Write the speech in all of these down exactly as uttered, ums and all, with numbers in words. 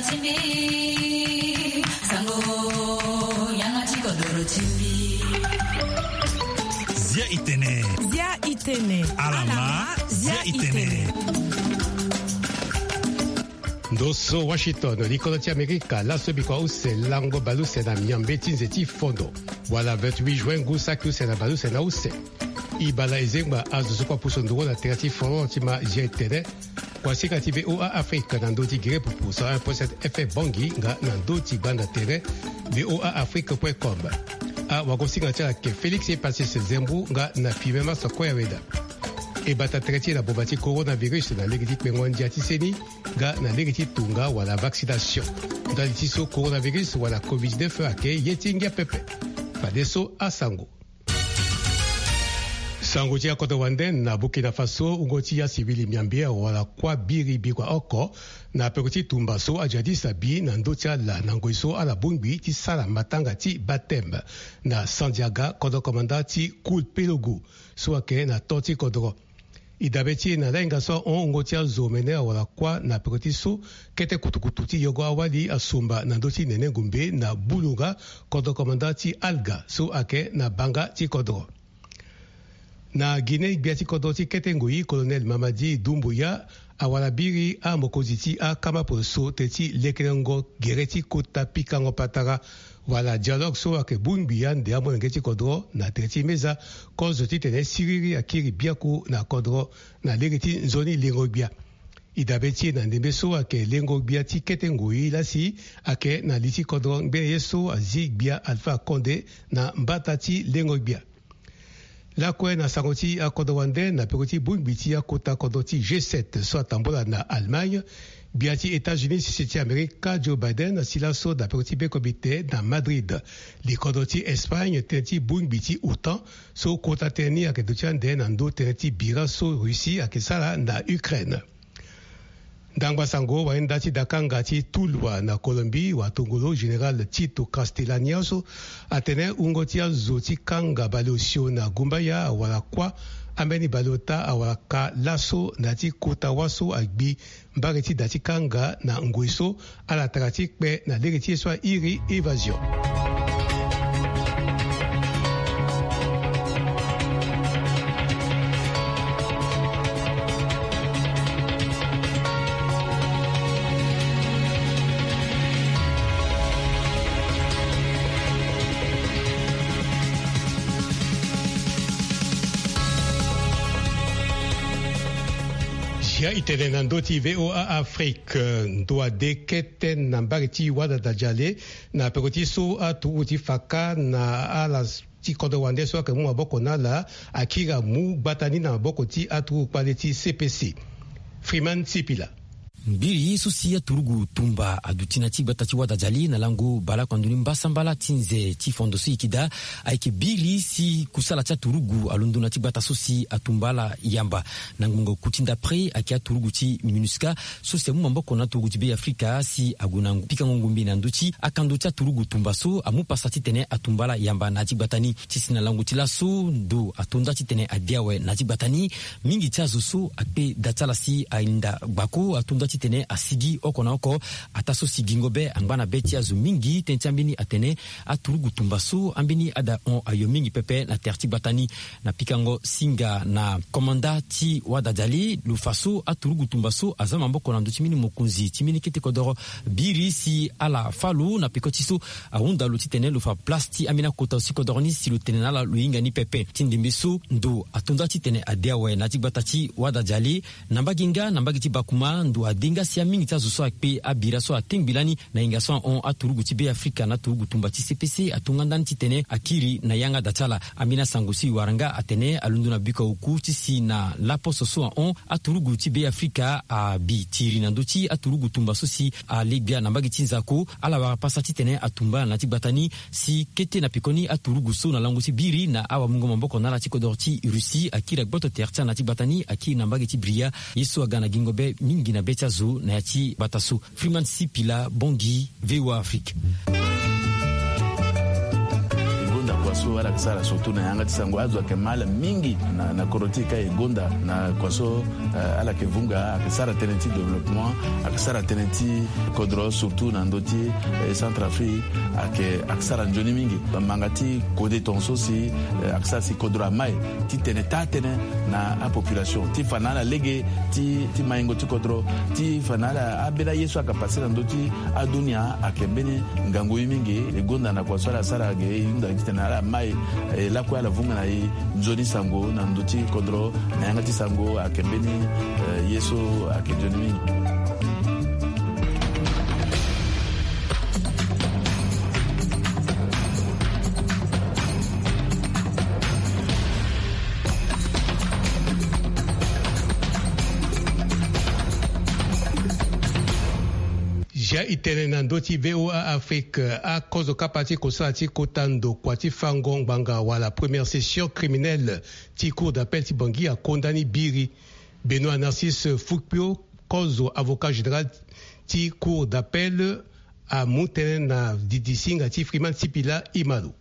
Zia itene. Zia itene. Alama, zia itene. Ndo so Washington, likolo ti Amerika, laso bikua use lango baleuse na miambe ti nze ti fondo, wala vingt-huit juin, ngu saki use na baleuse na use. E baa na e zengba azo so kue apusu nduru na tere ti folon ti ma zia itene. Kuasinga ti V O A Afrique na ndö ti gere pupu cent un point sept F M Bangui nga na ndö ti gbanda tere V O A Afrique point com. Awagosinga ti ala ayeke Félix Epasis Zembu nga na Filemon Maso Koyaweda. E bata tere ti e na boma ti coronavirus na lege ti kpengo ndia ti seni nga na lege ti tunga wala vaccination. Ndali ti so coronavirus wala covid dix-neuf ayeke ye ti ngia pepe. Fadeso asango. Sango ti akodro wande na Burkina Faso, wungo ti asivili miambe awara kuâ biri bikua oko na peko ti tumba so ajihadiste abi na ndö ti ala na ngoi so ala bongbi ti sara matanga ti baptême na Sandiaga, kodro komanda ti Koulpelougou so ayeke na to ti kodro. E dabe ti e na lahinga so ahon, wungo ti azo omene awara kuâ na peko ti so kete kutukutu ti yongo awali asumba na ndö ti Nene Ngombe na Bulunga, kodro komanda ti Alga so ayeke na banga ti kodro. Na Guinée, gbia ti kodro ti kete ngoi, Colonel Mamadi Doumbouya, awara biri amokonzi ti akama poroso tënë ti lekerengo gere ti kota pikango patara wala dialogue so ayeke bongbi ande amolenge ti kodro na tere ti meza kozo titene siriri akiri biaku na kodro na lege ti nzoni lengo gbia. E dabe ti e na ndembe so ayeke lengo gbia ti kete ngoi lasi ayeke na li ti kodro ngbene ye so azi gbia Alpha Condé na mbata ti lengo gbia. Lakue na sango ti akodro wande, na peko ti bongbi ti akota kodro ti G sept so atambola na Allemagne, gbia ti États-Unis sese ti Amerika Joe Biden asi laso na peko ti be komite na Madrid. Li kodro ti Espagne tënë ti bongbi ti OTAN so kota tënë ni ayeke duti ande na ndö tënë ti bira so Russie ayeke sara na Ukraine. Ndangba sango, wayenda ti dakanga ti Tuluá na Colombie, watongolo général Tito Castellani so atene wungo ti azo ti kanga baleosio na gumbaya awara kuâ, ambeni baleota awara ka laso na ya ti kota wâ so agbi mbage ti da ti kanga na ngoi so ala tara ti kpe na lege ti ye so airi évasion. Zia itene na ndö ti V O A Afrique. Ndo ade kete na mbage ti Wadadajale, na peko ti so aturugu ti faka na ala ti kodro wande so ayeke mu maboko na ala akiri amu gbata ni na maboko ti aturugu kpale ti C P C. Freeman Sipila. Mbiri so si aturugu tumba aduti na ya ti gbata ti Wadajale na lango baleoko ando ni mbasambala ti nze ti fondo so e yeke daa ayeke biri si kusala ti aturugu alondo na ya ti gbata so si atumba ala yamba. Na ngbonga oku ti ndapre ayeke aturugu ti MINUSCA so si amu maboko na aturugu ti Be Afrika si ague na pikango ngombe na ndö ti akando ti aturugu tumba so amu pasa titene atumba ala yamba na ya ti gbata ni. Ti si na lango ti laso ndo ato nda titene ade awe na ya ti gbata ni. Mingi ti azo so akpe da ti ala si ahinda gbako ato nda titene asigi oko na oko. Ataa so si gingo be angba na be ti azo mingi, tënë ti ambeni atene aturugu tumba so ambeni ada hon ayo mingi pepe na tere ti gbata ni. Na pikango singa na komanda ti Wadajale, lo fa so aturugu tumba so aza maboko na ndö ti mbeni mokonzi ti mbeni kete kodoro biri si ala fâ lo na peko ti so ahunda lo titene lo fa place ti ambeni akota so ti kodoro ni si lo tene na ala lo hinga ni pepe. Ti ndembe so ndo ato nda titene ade awe na ya ti gbata ti Wadajale. Na mbage nga na mbage ti Bakuma, ndo ade nga si amingi ti azo so akpe abira so atengbi lani na hinga so ahon aturugu ti Be Afrika na aturugu tumba ti C P C ato nga ndani titene akiri na yanga da ti ala. Ambeni asango so e wara nga atene alondo na biko oku ti si na laposo so ahon aturugu ti Be Afrika abi tiri na ndö ti aturugu tumba so si ale gbia na mbage ti nzako. Ala wara pasa titene atumba ala na ya ti gbata ni si kete na pekoni aturugu so na lango ti biri na awamungo maboko na ala ti kodoro ti Russie akiri agboto tere ti ala na ya ti gbata ni, akiri na mbage ti Bria. Ye so aga na gingo be mingi na be ti azo na ya ti gbata so. Freeman Sipila, Bangui, V O A Afrique. So ala yeke sara surtout na yanga ti sango azo ayeke ma ala mingi na kodro ti e ka e gonda na kua so ala yeke vunga ayeke sara tënë ti développement, ayeke sara tënë ti kodro surtout na ndö ti centre afrique. Ayeke sara nzoni mingi bamanga ti kode tonga so si ayeke sara si kodro ama e ti tene taa tënë na apopulation ti fa na ala lege ti maingo ti kodro ti fa na ala ambeni aye so ayeke pase na ndö ti adunia ayeke mbeni ngangu ye mingi. E gonda na kua so ala sara ge e hunda titene ala mai lakue ala vunga na e nzoni sango na ndö ti kodro na yanga ti sango ayeke mbeni ye so ayeke nzoni mingi. Zia e tene na ndö ti VOA Afrique, akozo kapa ti kosala ti kota ndokua ti fango ngbanga wala première session criminelle ti cour d'appel ti Bangui akonda ni biri. Benoît Narcisse Fukpio, kozo avocat général ti cour d'appel, amu tënë na didi singa ti Freeman Sipila Imalo.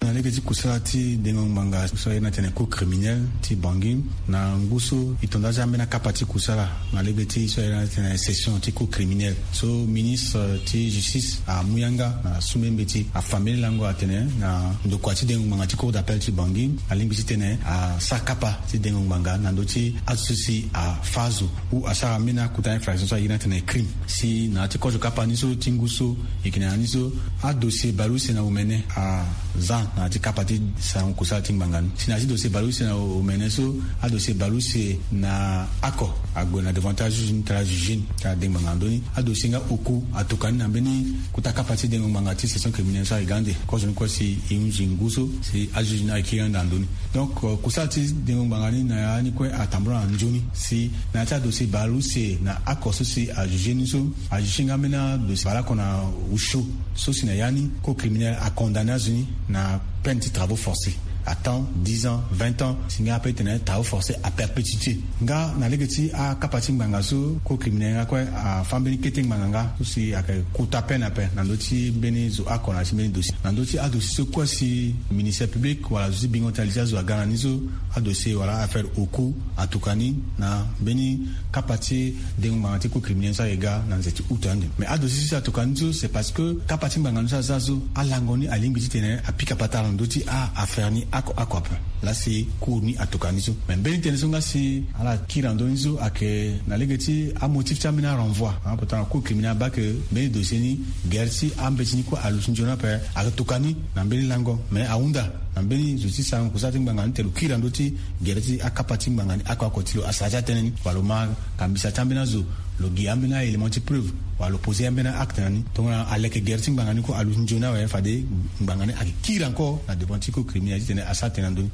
Na lege ti kusala ti dengo ngbanga so aye ni atene cour criminelle ti Bangui, na ngu so e tonda aza ambeni akapa ti kusala na lege ti so aye ni atene session ti cour criminelle so ministre ti justice amu yanga na su mbeni mbeti afa mbeni lango atene na ndokua ti dengo ngbanga ti cour d'appel ti Bangui alingbi titene asara kapa ti dengo ngbanga na ndö ti azo so si afa azo ou asara mbeni akota infraction so aye ni atene crime. Si na ya ti kozo kapa ni so ti ngu so e yeke na ya ni so adossier baleuse na omene aza na ya ti kapa ti sango kusala ti ngbanga ni. Si na ya ti dossier baleuse na omene so adossier baleuse na oko ague na devant ti ajuge ni tara juge ni tara dengo ngbanga na ndö ni. Adossier nga oku atuka ni na mbeni kota kapa ti dengo ngbanga ti session criminelle so aye ga ande kozo ni kue si e hunzi ngu so si ajuge ni aye kiri ande na ndö ni. Donc kusala ti dengo ngbanga ni na ya ni kue atambula na nzoni si na ya ti adossier baleuse na oko so si ajuge ni so ajuge nga ambeni adossier baleoko na osio so si na ya ni cour criminelle acondamné azo ni na peine ti travaux forcés à temps dix ans vingt ans si nga ape tene travaux forcés à perpétuité. Nga na lege ti akapa ti ngbanga so cour criminelle nga kue afa mbeni kete ngbanga nga so si ayeke kota peine ape na ndö ti mbeni zo oko na ya ti mbeni dossier na ndö ti adossier so kue si ministère public wala zo ti bingo tali ti azo aga na ni so adossier wala affaire oku atuka ni na mbeni kapa ti dengo ngbanga ti cour criminelle so ayeke ga na nze ti août ande. Mais adossier so si atuka ni so c'est parce que kapa ti ngbanga ni so aza so alango ni alingbi titene apika patara na ndö ti a affaire ni oko oko ape. Laa si cour ni atuka ni so mais mbeni tënë so nga si ala kiri na ndö ni so ayeke na lege ti amotif ti ambeni arenvoi. Pourtant cour criminelle abaa ke mbeni dossier ni gere ti ambeti ni kue aluti nzoni ape. Ayeke tuka ni na mbeni lango mais ahunda na mbeni zo ti sarango kusala ti ngbanga ni te lo kiri na ndö ti gere ti akapa ti ngbanga ni oko oko ti lo asara ti atënë ni wala lo ma kambisa ti ambeni azo lo gi ambeni a-élément ti preuve wala lo poser ambeni a-acte na ni. Tongana aleke gere ti ngbanga ni kue aluti nzoni awe fade ngbanga ni ayeke kiri encore na devant ti cour criminelle titene asara tënë na ndö ni.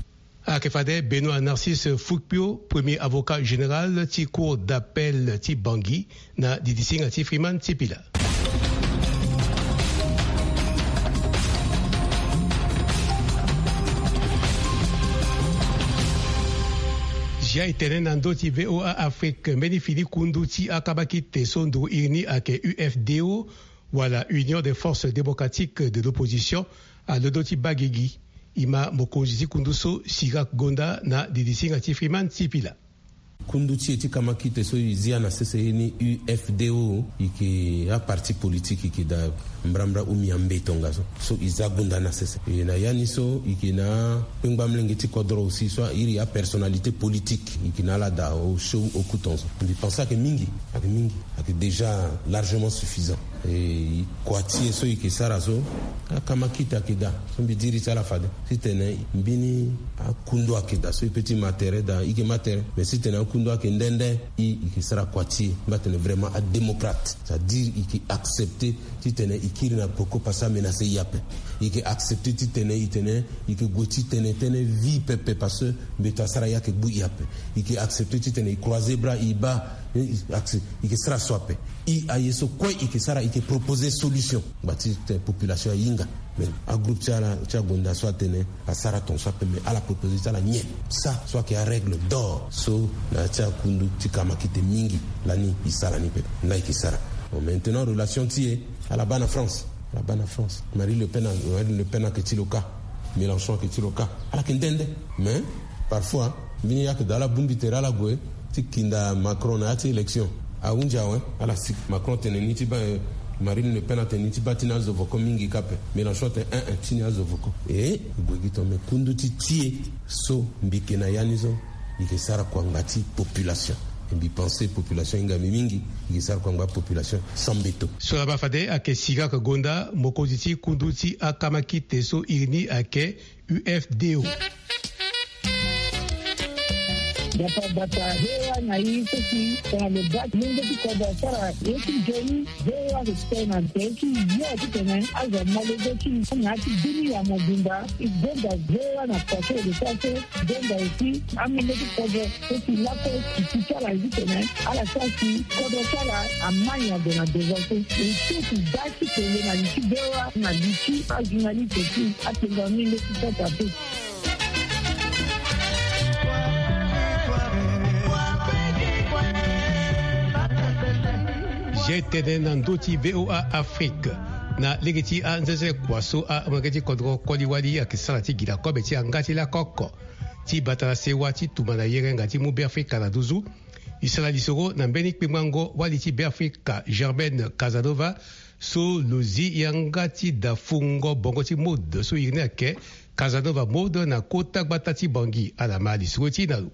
Ayeke fade Benoît Narcisse Fukpio, premier avocat général ti cour d'appel ti Bangui na didisinga ti Freeman Sipila. Zia e tene na ndö ti VOA Afrique mbeni fini kundu ti akabakite so nduru iri ni ayeke U F D O wala Union des Forces Démocratiques de l'Opposition alondo ti baa gigi. E ma mokonzi ti kundu so Sirac Gonda na didisinga ti Freeman Sipila. Kundu ti e ti kamakite so e zia na sese ye ni U F D O, e yeke aparti politique e yeke daa mbrambra umi ambe tongaso so e za gunda na sese. E na ya ni so e yeke na akpengba mlenge ti kodro aussi so a iri apersonnalité politique e yeke na ala daa osio oku tongaso. Mbi pense ayeke mingi, ayeke mingi, ayeke déjà largement suffisant. E kua ti e so e yeke sara so akamakite ayeke daa so mbi diri ti ala fade titene mbeni akundu ayeke daa so e pe ti ma tere daa e yeke ma tere mais titene akundu ayeke nde nde e e yeke sara kua ti e mbi atene vraiment adémocrate c'est-à-dire e yeke accepter titene e kiri na poko pase amenace e ape. E yeke accepter titene e tene e yeke gue ti tene tënë vie pepe parce que mbeto asara e ayeke gbu e ape. E yeke accepter titene e croiser bras e baa e yeke sara so ape. E aye so kue e yeke sara e yeke proposer solution ngba ti tene population ahinga. Mais agroupe ti ala ti agonda so atene asara tongaso ape mais ala proposer ti ala nyen? Sa so ayeke arègle d'or so na ya ti akundu ti kamakite mingi lani e sara ni pepe. Nda e yeke sara. Bon maintenant relation ti e ala baa na France. Ala baa na France. Marine Le Pen ayeke ti lo kâ. Mélenchon ayeke ti lo kâ, ala yeke nde nde. Mais parfois mbeni yâ ayeke daa ala bongbi tere ala gue ti kinda Macron na yâ ti élection. Ahunzi awe, ala si Macron atene ni ti baa, eh, Marine Le Pen atene ni ti baa ti ni azo voko mingi kâ ape. Mélenchon atene eh eh, ti ni azo voko. E gue gi tonga, mais kundu ti ti e so mbi yeke na yâ ni so, mbi yeke sara kua ngbâ ti population. E mbi pense population ahinga mbi mingi, mbi yeke sara kua ngbâ population sans mbeto. So laa baa fade ayeke Siraka Gonda, mokonzi ti kundu ti akamakite so iri ni ayeke U F D O. Bata bata, V O A na i so si tongana lo baa ti lenge ti kodro asara ye ti nzoni, V O A ayeke tene na nze ti yo titene azo amolenge ti na ya ti bini ya mobimba. E gonda V O A na kua so e yeke sara so, e gonda aussi amolenge ti kodro so si lakue e ti ti ala titene ala sara si kodro ti ala ama nyango na devant so. E ti e ti baa ti tene na li ti V O A na li ti ajournaliste ti atenga mingi ti sota pe. Zia e tene na ndö ti V O A Afrique. Na lege ti anzenze kua so amolenge ti kodro koli wali ayeke sara ti gi na kobe ti yanga ti lako oko ti bata na sewa ti tumba na yerenga ti mu Beafrika na nduzu. E sara lisoro na mbeni kpengbango wali ti Beafrika Germaine Casanova, so lo zi yanga ti da fungo bongo ti mode so iri ni ayeke Casanova Mode na kota gbata ti Bangui. Ala ma lisoro ti e na lo.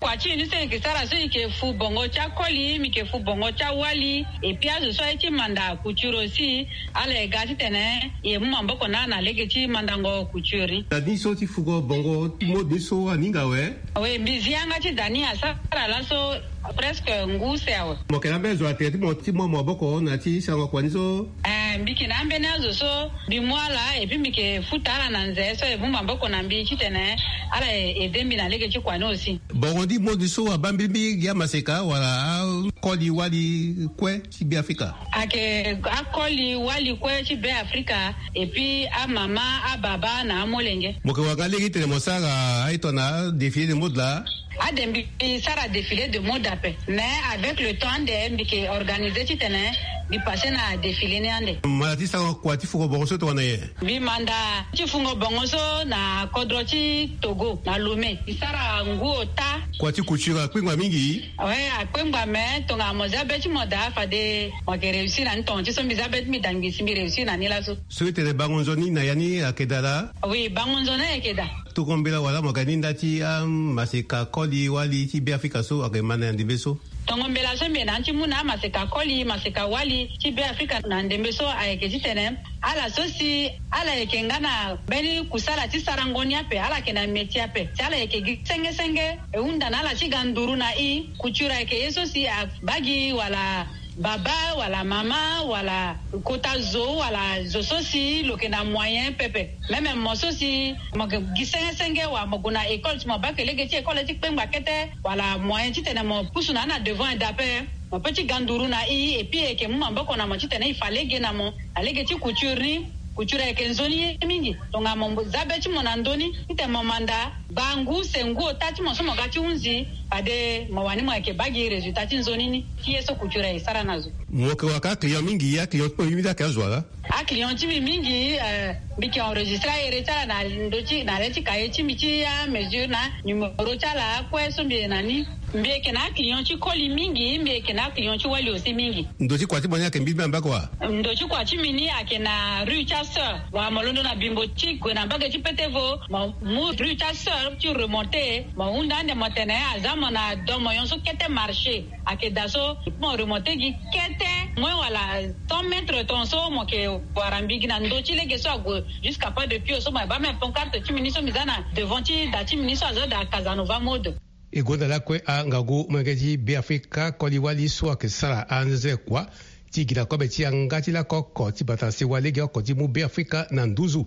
Kua ti e ni so e yeke sara so e yeke fu bongo ti akoli, mbi yeke fu bongo ti awali, et puis azo so aye ti manda couture aussi, ala ye ga titene e mu maboko na ala na lege ti mandango couture ni. Da ni so ti fungo bongo ti mode ni so aninga awe? Oui, mbi zi yanga ti da ni asara laso presque ngu use awe. Mo yeke na ambeni azo atene ti mo ti mu maboko na ya ti sarango kua ni so? Eh, mbi yeke na ambeni azo so mbi mu ala, et puis mbi yeke futa ala na nze so e mu maboko na mbi titene ala e aide mbi na lege ti kua ni aussi. Bongo ni mode so abaa mbirimbi gi amaseka wala akoli wali kue ti Beafrika? Ayeke akoli wali kue ti Beafrika, et puis amama, ababa na amolenge. Mo yeke wara nga lege titene mo sara aye tongana défilé de mode laa? Ade mbi sara défilé de mode ape, mais avec le temps ande mbi yeke organisé titene mbi passé na défilé ni ande. Manda ti sara kua ti fungo bongo so tongana nyen? Mbi manda ti fungo bongo so na kodro ti Togo, na Lomé. Mbi sara ngu ota. Kua ti couture akpengba mingi? Oui, akpengba, mais tongana mo za be ti mo daa fade mo yeke réussir na ni tonga ti so mbi za be ti mbi daa ngbisi mbi réussir na ni laso. So e tene bango nzoni na ya ni ayeke daa laa? Oui, bango nzoni ayeke daa. Tongo mbela wala mo ga ni nda ti amaseka koli wali ti Beafrika so ayeke ma na ndembe so? Tongo mbela so mbi yeke na ni ti mu na amaseka koli, maseka wali ti Beafrika na ndembe so ayeke titene ala so si ala yeke nga na mbeni kusala ti sarango ni ape, ala yeke na métier ape, si ala yeke gi senge senge, e hunda na ala ti ga nduru na i. Couture ayeke ye so si abaa gi wala baba wala mama wala kota zo wala zo so si lo yeke na moyen pepe. Même mo so si mo yeke gi senge senge wala mo gue na école, si mo baa ke lege ti école ti kpengba kete wala moyen titene mo pusu na ni na devant e daa ape, mo peut ti ga nduru na i, et puis e yeke mu maboko na mo titene e fa lege na mo na lege ti couture ni. Couture ayeke nzoni ye mingi. Tongana mo za be ti mo na ndö ni titene mo manda, baa ngu use ngu ota ti mo so mo ga ti hunzi, fade mo wani mo yeke baa gi résultat ti nzoni ni ti ye so couture aye sara na zo. Mo yeke wara ka client mingi, aclient ti mo mingi ayeke azo wala? Aclient ti mbi mingi, eh, mbi yeke enregistré ahere ti ala na ndö ti, na le ti cahier ti mbi ti amesure na numéro ti ala akue so mbi yeke na ni. Mbi yeke na aclient ti koli mingi, mbi yeke na aclient ti wali aussi mingi. Ndo ti kua ti mo ni ayeke mbirimbiri na mbage wa? Ndo ti kua ti mbi ni ayeke na rue ti asœur. Wala mo londo na bimbo ti gue na mbage ti Petevo, mo mu rue ti asœur ti remonté, mo hunda ande mo tene aza mo na domo nyon so kete marché. Ayeke daa so mo remonté gi kete moins wala cent mètres ton so mo yeke wara mbi gi na ndo ti lege so ague jusqu'à Pas de Pio so mo yeke baa même pancarte ti mbi ni so mbi za na devant ti da ti mbi ni so azo daa Casanova Mode. E gonda lakue angangu molenge ti Beafrika koli wali so ayeke sara anze kua ti gi na kobe ti yanga ti lako oko ti bata na sewa lege oko ti mu Beafrika na nduzu.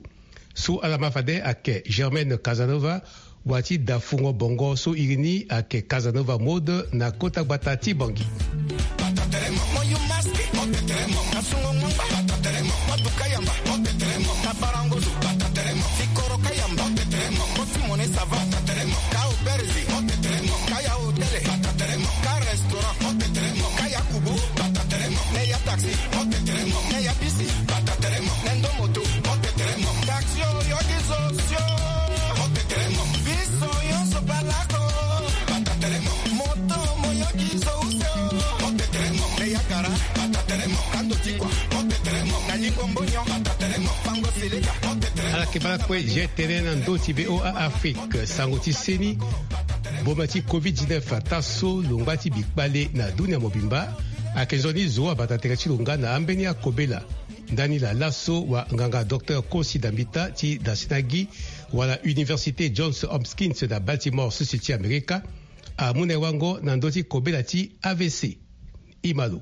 So ala ma fade ayeke Germaine Casanova, wa ti da fungo bongo so iri ni ayeke Casanova Mode na kota gbata ti Bangui. Ala yeke baa lakue. Gtene na ndö ti VOA Afrique, sango ti seni. Boma ti covid dix-neuf ataa so lo ngba ti bikpale na dunia mobimba. Ayeke nzoni zo abata tere ti lo nga na ambeni akobela. Ndani laa laso wa nganga docteur Kosi Dambita ti Dasenagi wala Université Johns Hopkins na Baltimore, sese ti Amerika, amu na e wango na ndö ti kobela ti A V C. Ima lo.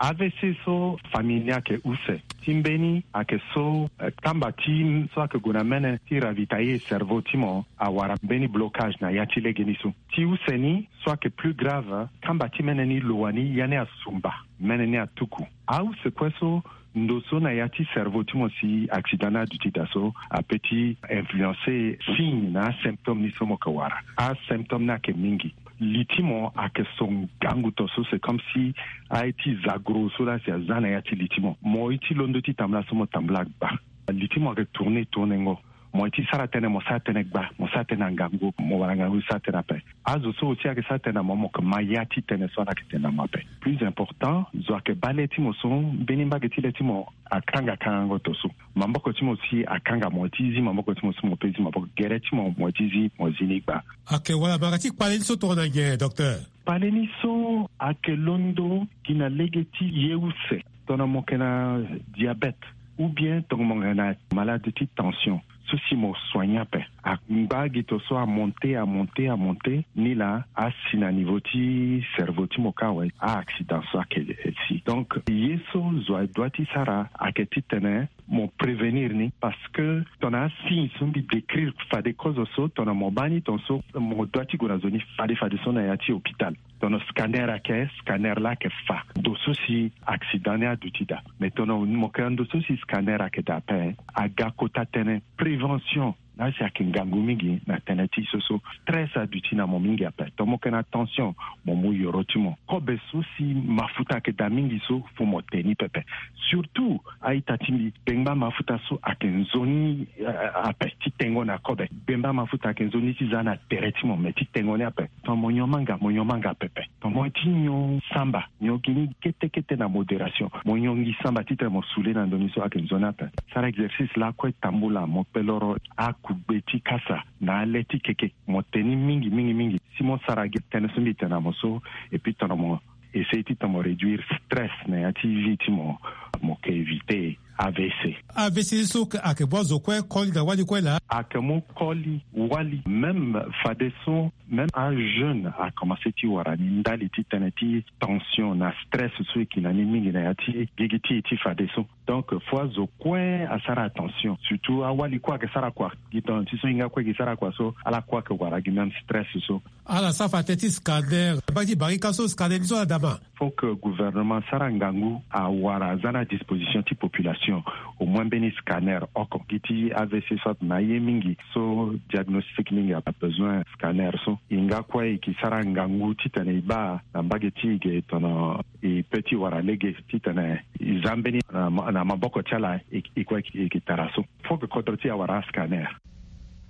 A V C so famille ni ayeke use. Ti mbeni ayeke so, eh, kamba ti so ayeke gue na mene ti ravitailler cerveau ti mo awara mbeni blocage na ya ti legeni so. Ti use ni so ayeke plus grave, kamba ti mene ni lo wani ya ni asumba, mene ni atuku. Ause kue so ndo so na ya ti cerveau ti mo si accident ni aduti daa so apeut ti influencer signe na asymptôme ni so mo yeke wara. Asymptôme ni ayeke mingi. Li ti mo ayeke so ngangu to so, c'est comme si aye ti zagro so laa si aza na ya ti li ti mo. Mo ye ti londo ti tambula so mo tambula gba. Li ti mo ayeke tourner tournengo. Mo ye ti sara tënë, mo sara tënë gba, mo sara tënë na ngangu, mo wara ngangu ti sara tënë ape. Azo so aussi ayeke sara tënë na mo, mo yeke ma ya ti tënë so ala yeke tene na mo ape. Plus important, zo ayeke baa le ti mo so mbeni mbage ti le ti mo akanga kangango to so. Maboko ti mo si akanga, mo ye ti zi maboko ti mo so mo peut zi maboko. Gere ti mo, mo ye ti zi, mo zi ni gba. Ayeke wala mara ti kpale ni so tongana nyen, docteur? Kpale ni so ayeke londo gi na lege ti ye use. Tongana mo yeke na diabète, ou bien tongana mo yeke na malade ti tension, so si mo soigner ape, angba gi to so amonter, amonter, amonter, ni laa asi na niveau ti cerveau ti mo kâ awe, a-accident so ayeke si. Donc ye so zo adoit ti sara ayeke titene mo prévenir ni, parce que tongana asigne so mbi décrire fade kozo so, tongana mo baa ni tongaso, mo doit ti gue na zo ni fade fade so na ya ti hôpital. Tongana scanner ayeke, scanner laa ayeke fa. Ndo so si accident ni aduti daa. Mais tongana mo yeke na ndo so si scanner ayeke daa ape, aga kota tënë prévention. Laa si ayeke ngangu mingi na tënë ti so so. Stress aduti na mo mingi ape. Tongana mo yeke na tension, mo mu yoro ti mo. Kobe so si mafuta ayeke daa mingi so, fo mo te ni pepe. Surtout a-ita ti mbi, bengba mafuta so ayeke nzoni, eh, ape ti tengo na kobe. Bengba mafuta ayeke nzoni ti za na tere ti mo, me ti tengo ni ape. Tongana mo nyon manga, mo nyon manga pepe. Tongana mo ye ti nyon samba, nyon gi ni kete kete na modération. Mo nyon gi samba titene mo soule na ndo ni so ayeke nzoni ape. Sara exercice lakue tambula, mo kpe loro akugbe ti kasa na ale ti keke. Mo te ni mingi mingi mingi. Si mo sara gi tënë so mbi tene na mo so, et puis tongana mo essayer titene mo réduire stress na ya ti vie ti mo, mo yeke éviter A V C. A V C so ayeke baa zo kue koli na wali kue laa? Ayeke mu koli wali, même fadeso, même ajeune akomanse ti wara ni ndali ti tënë ti tension na stress so e ki na ni mingi na ya ti gigi ti e ti fadeso. Donc fo azo kue asara attention, surtout awali kue ayeke sara kua. Gi tongana ti so hinga kue gi sara kua so, ala kue ayeke wara gi même stress so. Ala sara fa tënë ti scanner, mbage ti barika so scanner ni so ala dama. Faut que gouvernement asara ngangu awara aza na disposition ti population au moins mbeni scanner oko. Gi ti A V C so atene aye mingi so diagnostic mingi abesoin scanner so. Hinga kue e ke sara ngangu titene e baa na mbage ti e ge tongana e peut ti wara lege titene e za mbeni na ma-, na maboko ti ala e, e kue e ke tara so. Faut que kodro ti e awara ascanner.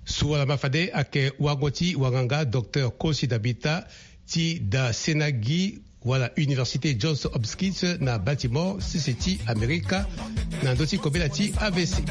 So ala ma fade ayeke wango ti wanganga docteur Kosi Dambita ti Dasenagi wala Université Johns Hopkins na Baltimore, sese ti Amerika, na ndö ti kobela ti A V C.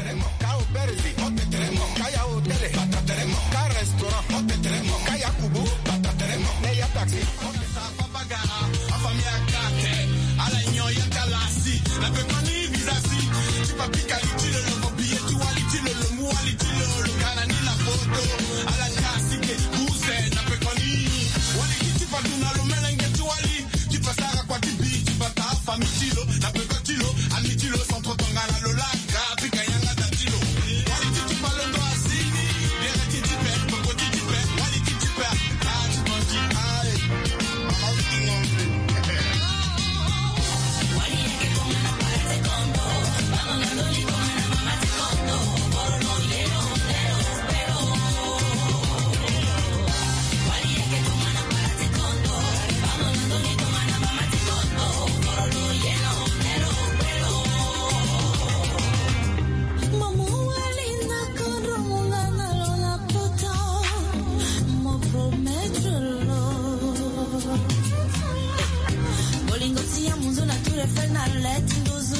Bolingo ti ya munzu na tour Eiffel na leti nduzu.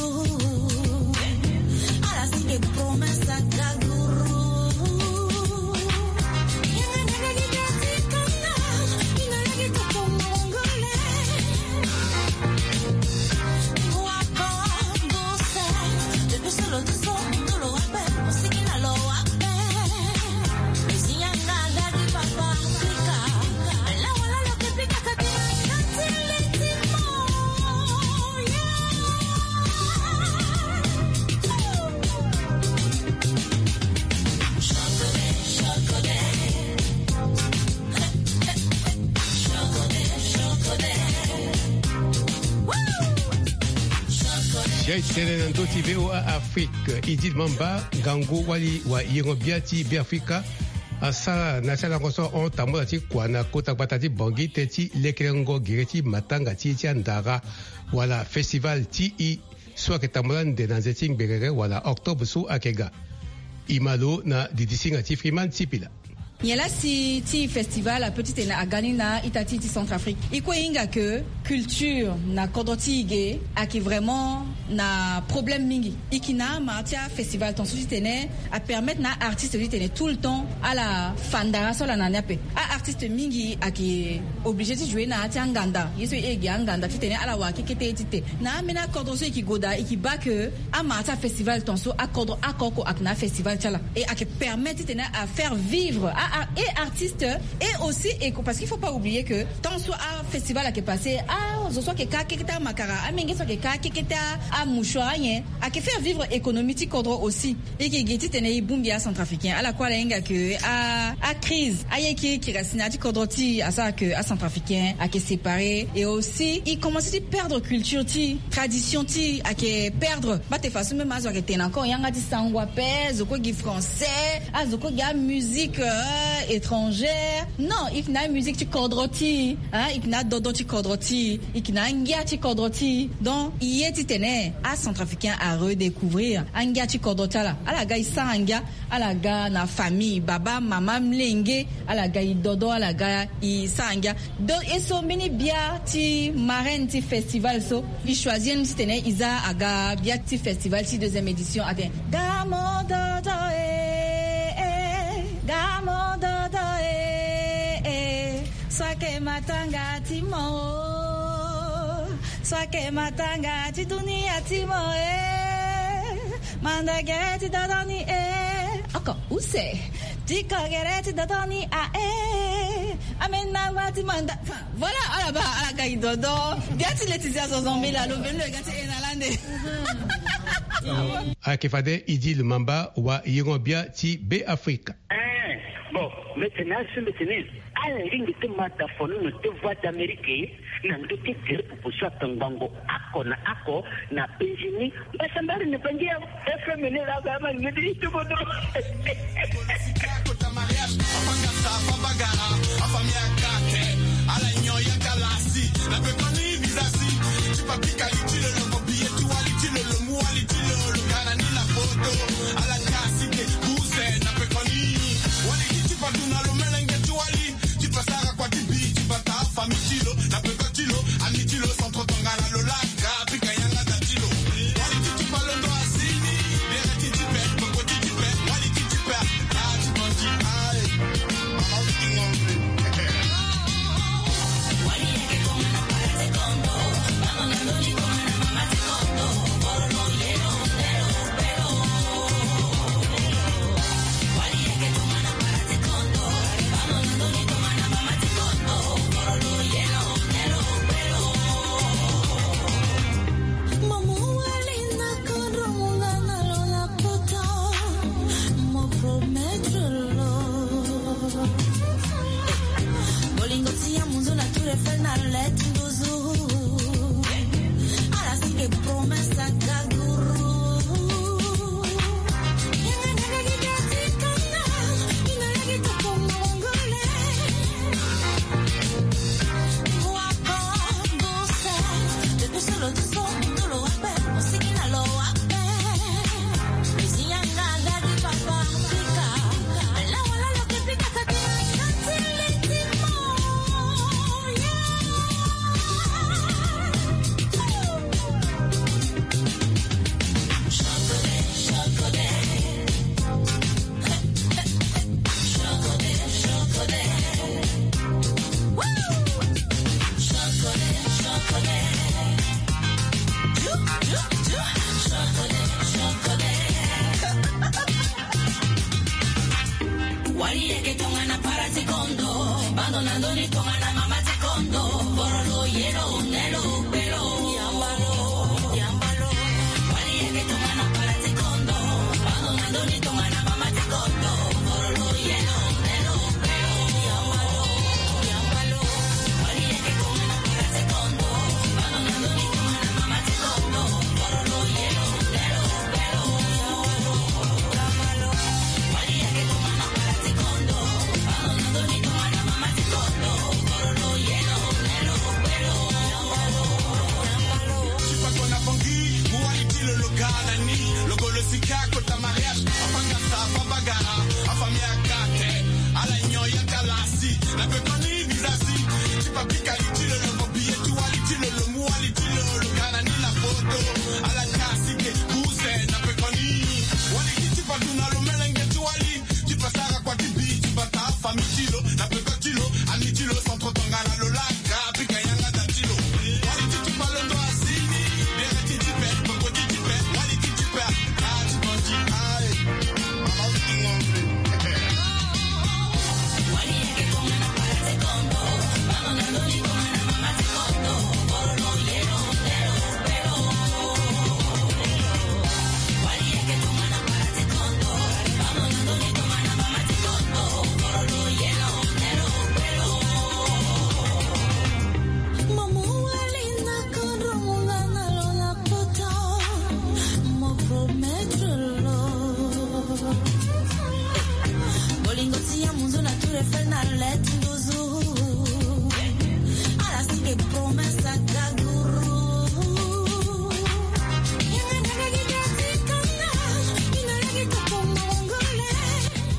Sia e tene na ndö ti VOA Afrique, Idil Mamba, ngangu wali wa yengo-bia ti Beafrika, asara na ya ti alango so ahon tambula ti kua na kota gbata ti Bangui tënë ti lekerengo gere ti matanga ti e ti andara wala festival ti e so ayeke tambula ande na nze ti ngbengere wala octobre so ayeke ga. E ma lo na didisinga ti Freeman Sipila. Nyen lasi ti festival ape titene aga ni na ita ti e ti Centrafrique? E kue e hinga ke culture na kodro ti e ge ayeke vraiment na problème mingi. E yeke na ama ti afestival tongaso titene apermettre na aartiste titene tout le temps ala fa ndara so ala na ni ape. Aartiste mingi ayeke obligé ti jouer na ya ti anganda, ye so e gi anganda titene ala wara kekete ye ti te. Na ambeni akodro so e yeke gue daa, e yeke baa ke amara ti afestival tongaso akodro oko oko ayeke na afestival ti ala. E ayeke permettre titene afaire vivre a, a, e artiste, et aussi e, parce qu'il faut pas oublier que tongaso afestival ayeke passé, azo so ayeke ka kekete amakara, amenge so ayeke ka kekete a, amouchoir, anyen, ayeke faire vivre économie ti kodro aussi. E yeke gi titene e bongbi acentrafricain. Ala kue ala hinga ke a, acrise, aye kirikiri asi na ya ti kodro ti e asara ke acentrafricain ayeke séparé. Et aussi e commencé ti perdre culture ti e, tradition ti e ayeke perdre. Bate façon même azo ayeke tene encore yanga ti sango ape, zo kue gi français, azo kue gi amusique, euh, étrangère. Non, e yeke na amusique ti kodro ti e, hein, e yeke na adodon ti kodro ti e, e yeke na angia ti kodro ti e. Donc e ye titene acentrafricain aredécouvrir angia ti kodro ti ala. Ala ga e sara ngia, ala ga na famille, baba, mama, molenge, ala ga e dodo, ala ga e sara ngia. Donc e so mbeni bia ti marraine ti festival so e choisir ni titene e za aga bia ti festival ti deuxième édition atene Gamo dodo e, e, gamo dodo e, e. So ayeke matanga ti mo o, so ayeke matanga ti dunia ti mo e. Manda gere ti dodo ni e. Oko use. Ti ko gere ti dodo ni ae. Ameni nangba ti manda. Enfin, voilà, ala baa, ala ga e dodo. Bia ti Laetitia Zozon Mila lo veni lo yeke ga ti e na lande. Ayeke fade Idil Mamba wa yengo bia ti Beafrika. Eh, bon, mbi tene asi mbi tene ala lingbi ti mata fono na te Voix d'Amérique na ndö ti gere popo so atongbango oko na oko na penzi ni. Mbasambari ni bangi ya F M ni la ga ma ni di tu bodo. Kota mariage, afangasa, afabagara, afamia kate, ala nyo ya kalasi, na pekoni bizasi, ti papika litilo, lo mobiye ti wali tilo, lo mu wali tilo, lo kana ni la foto, ala kasi ke, buse, na pekoni, wali ti patu na lo melenge ti wali, ti pasara kwa ti bi, ti bata famille ti lo, na peko ti lo, ami ti lo, centre tongana lo laka, pika yanga da ti lo. Wali ti ti palondo asini, bere ti ti pe, poko ti ti pe, wali ti ti pe, ah, ti bandi, aye. Mama wiki ngombe. Wali yeke koma na para te kondo, mama na ndoni koma na Ti pa kona bongi, mu wali ti lo lo ga na ni. Lo go lo sika kota mariage. Afanga sa, afa bagara, afamille akate. Ala nyon ya kalasi, na pe koni visa si. Ti pa pika li ti lo lo mo biye ti wali ti lo lo, mu wali ti lo lo ga na ni na poto. Ala kasi ke, buse, na pe koni. Wali ti ti pa duna lo melenge ti wali. Ti pa sara kua ti bi, ti pa ta famille ti lo, na pe ko ti lo, ami ti lo, centre tongana lo laka, pika yanga da ti lo. Wali ti ti pa londo asini, bere ti ti pe, poko ti ti pe, wali ti ti pe, ah, ti pa ti, aye. Mama, we ti ngombe. Bolingo ti ya munzu na tour Eiffel na leti nduzu. Ala si ke promesse agaguru. Yanga na lagi dati kanga, ina lagi kapongo ngole.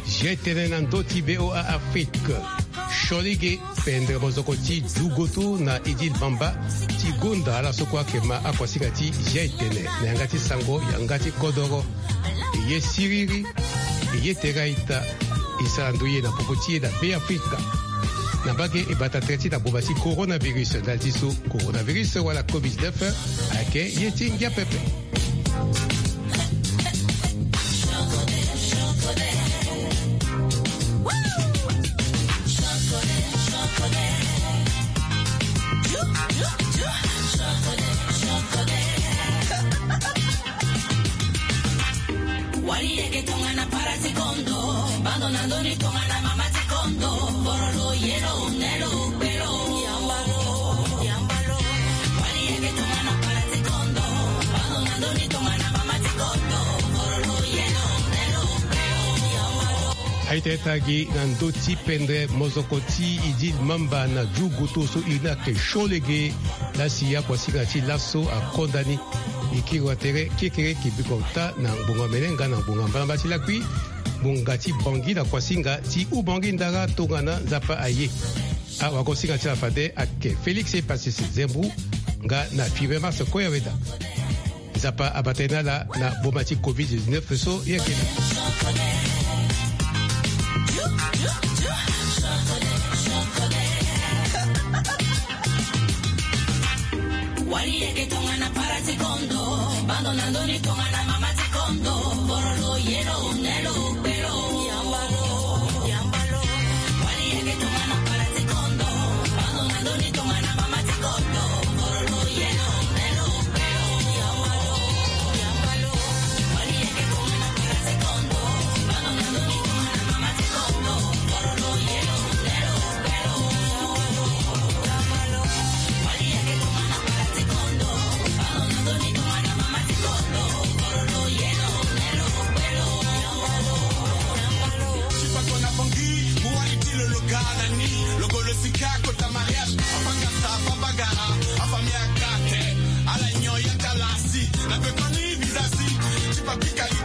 Jetene na ndö ti V O A Afrique. Siolege, pendre mozoko ti dugoto na Idil Bamba ti gonda ala so kue ayeke ma akuasinga ti jetene na yanga ti sango, yanga ti kodoro. E ye siriri, e ye tere a-ita, e sara ndo ye na popo ti e na Beafrika. Na mbage e bata tere ti na boma ti coronavirus, ndali ti so coronavirus wala covid dix-neuf ayeke ye ti ngia pepe. Wali yeke tongana para ti kondo, bando na ndoni tongana mama ti kondo, borolo, yelo, nelo, belo. Yambalo, yambalo. Wali yeke tongana para ti kondo, bando na ndoni tongana mama ti kondo, borolo, yelo, nelo, belo. Yambalo. Aita eta gi na ndö ti pendre mozoko ti Idil Mamba na dugoto so iri ni ayeke Siolege. Lasi akuasinga ti laso akonda ni. E kiri wa tere kiekere, e ke biko ota na ngbonga mene nga na ngbonga mbalamba ti lakui. Ngbonga ti Bangui na kuasinga ti Oubangui Ndara tongana Nzapa aye. Awagosinga ti ala fade ayeke Félix Epasese Zembu nga na Fibre Mars Koyaweda. Nzapa abata ye na ala na boma ti covid dix-neuf so ye ayeke. Wali yeke tongana para ti kondo, bando na ndoni tongana mama ti kondo, borolo, yelo, nelo, belo. Yambalo, yambalo. Wali yeke tongana para ti kondo, bando na ndoni tongana mama ti kondo, borolo, yelo, nelo, belo. Yambalo, yambalo. Wali yeke tongana para ti kondo, bando na ndoni tongana mama ti kondo, borolo, yelo, nelo, belo. Ti pa kona bongi, mu wali ti lo lo ga na ni. Lo go lo sika kota mariage. Afanga sa, afa bagara, afamille akate. Ala nyon ya kalasi. Na pe koni visa si. Ti pa pika li